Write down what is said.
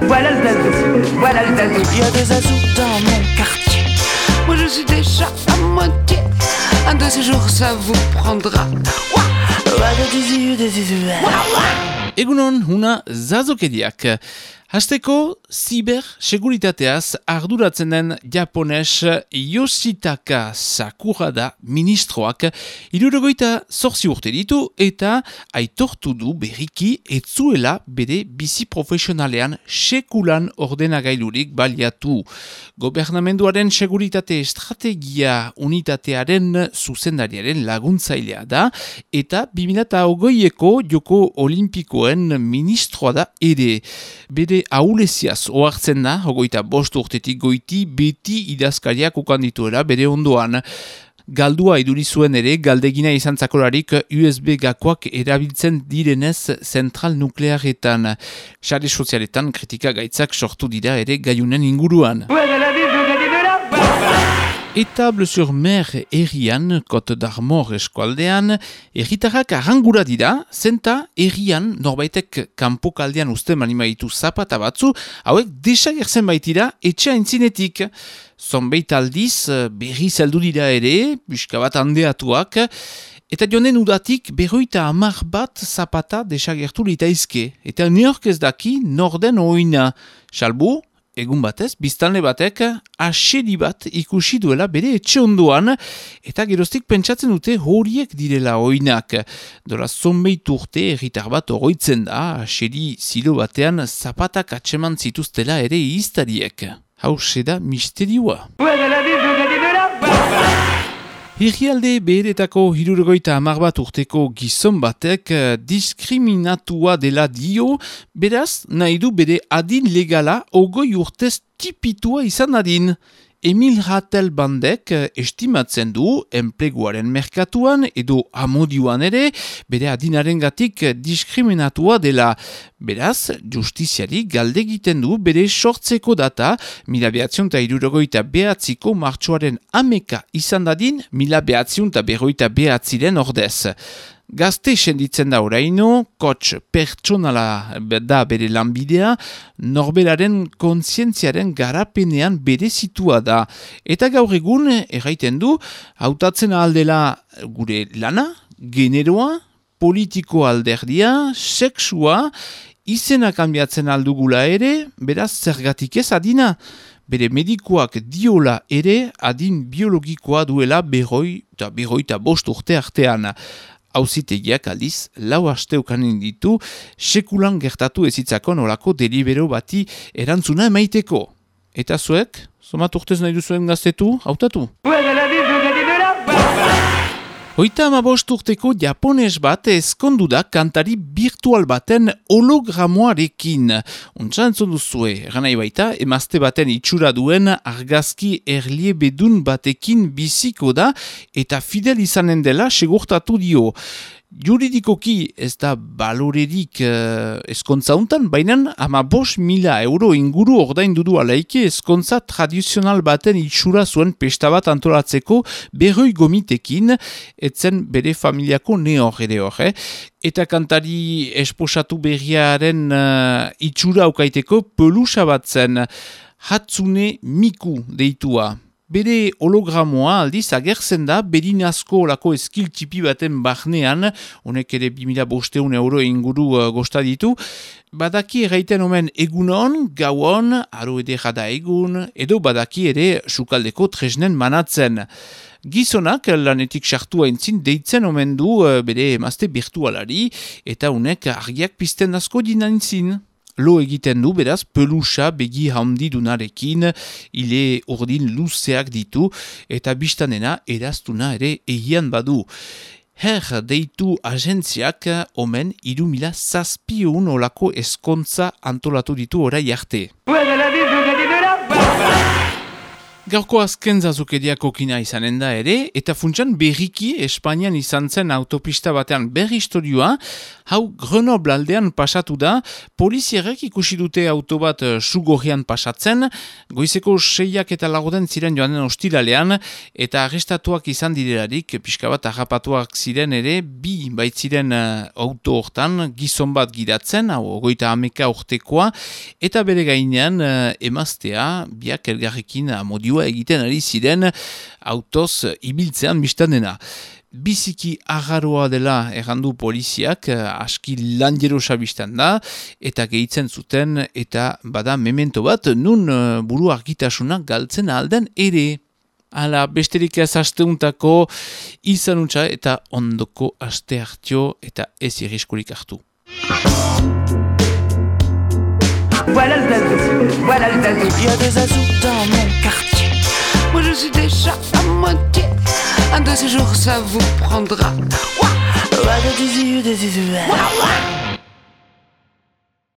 Voilà le zazou, voilà le zazou. Il y a des zazous dans mon quartier. Moi je suis déjà à moitié. Un de ces jours ça vous prendra. Egunon, huna zazokediak. Hasteko, ziber-seguritateaz arduratzen den japones Yoshitaka Sakura da ministroak 68 urte ditu eta aitortu du berriki etzuela bere bizi profesionalean sekulan ordenagailurik baliatu. Gobernamenduaren seguritate estrategia unitatearen zuzendariaren laguntzailea da eta 2020eko Joko Olimpikoen ministroa da ere. Bere ahuleziaz ohartzen da, 25 urtetik goiti beti idazkariak ukan dituela bere ondoan. Galdua iduri zuen ere, galdegina izan zakolarik USB gakoak erabiltzen direnez zentral nuklearetan. Sare sozialetan kritika gaitzak sortu dira ere gaiunen inguruan. Etable-sur-Mer herrian, Côte d'Armor eskualdean, herritarrak arrangura dira, zenta herrian norbaitek kanpokaldean uste manimaitu zapata batzu, hauek desagertzen baitira etxe aintzinetik. Zonbeit aldiz berri zeldu dira ere, buska bat handeatuak, eta jonen udatik 50 bat zapata desagertu litaizke. Eta neork ez daki norden oina. Salbu, egun batez, biztanle batek asedi bat ikusi duela bere etxe ondoan, eta geroztik pentsatzen dute horiek direla oinak. Dola zonbeit urte herritar bat oroitzen da, asedi zilo batean zapatak atseman zituztela ere iztariek. Hauxe da misterioa. Herrialde beheretako 71 bat urteko gizon batek diskriminatua dela dio, beraz nahi du bere adin legala 20 urtez tipitua izan adin. Emil Ratelbandek estimatzen du enpleguaren merkatuan edo amodioan ere bere adinarengatik diskriminatua dela. Beraz, justiziari galde egiten du bere sortzeko data 1969ko martxoaren 11 izan dadin 1959 ordez. Gazte senditzen da oraino, coach pertsonala da bere lanbidea, norberaren kontzientziaren garapenean berezitua da. Eta gaur egun, erraiten du, hautatzen aldela gure lana, generoa, politiko alderdia, sexua, izena kanbiatzen aldugula ere, beraz zergatik ez adina. Bere medikoak diola ere adin biologikoa duela 45 urte artean. Auzitegiak aldiz, 4 aste ukanen ditu, sekulan gertatu ezitzako nolako delibero bati erantzuna emaiteko. Eta zuek, somat urtez nahi duzuen gaztetu, hautatu? 35 urteko japones bat ezkondu da kantari virtual baten hologramoarekin. Untsa entzun duzue, ganai baita, emazte baten itxura duen argazki erliebedun batekin biziko da eta fidel izanen dela segurtatu dio. Juridikoki ez da balorerik eskontza untan, baina 15.000 euro inguru ordaindu du alaike eskontza tradizional baten itxura zuen pesta bat antolatzeko 40 gomitekin, etzen bere familiako neor ere hor. Eta kantari esposatu berriaren itxura aukaiteko pelusa bat zen Hatsune Miku deitua. Bere hologramoa aldiz agertzen da berinazko olako eskil tipi baten barnean, honek ere 2.500 euro inguru gosta ditu. Badaki erraiten omen egunon, gauon, aro edera da egun, edo badaki ere sukaldeko tresnen manatzen. Gizonak lanetik sartu haintzin deitzen omen du bere emazte virtualari, eta honek argiak pizten asko dinantzin. Lo egiten du, beraz, pelusa begi handi dunarekin, ile urdin luzeak ditu, eta biztanena eraztuna ere egian badu. Deitu agentziak omen 3.700 olako eskontza antolatu ditu orai arte. Gaurko azken zazukeriak okina izanen da ere, eta funtsan berriki Espainian izan zen autopista batean berri historioa, hau Grenoble aldean pasatu da, polizierek ikusi dute auto bat sugorrian pasatzen, goizeko 6 eta lagoden ziren joanen ostiralean, eta arrestatuak izan direlarik, pixka bat harrapatuak ziren ere, bi baitziren auto hortan, gizon bat gidatzen, hau 30 urtekoa, eta bere gainean emaztea, biak elgarrekin amodioa egiten ari ziren autoz ibiltzean biztan dena. Biziki agarroa dela errandu poliziak, aski lanjerosa biztan da, eta gehitzen zuten, eta bada memento bat, nun buru argitasuna galtzen alden ere. Hala, besterik ez asteuntako izan utxa eta ondoko aste hartio eta ez irriskurik hartu. Voilà le zazou, voilà le zazou. Il y a des zazous dans mon quartier. Moi je suis déjà à moitié. Un de ces jours ça vous prendra. Ouah, ouah, ouah, ouah.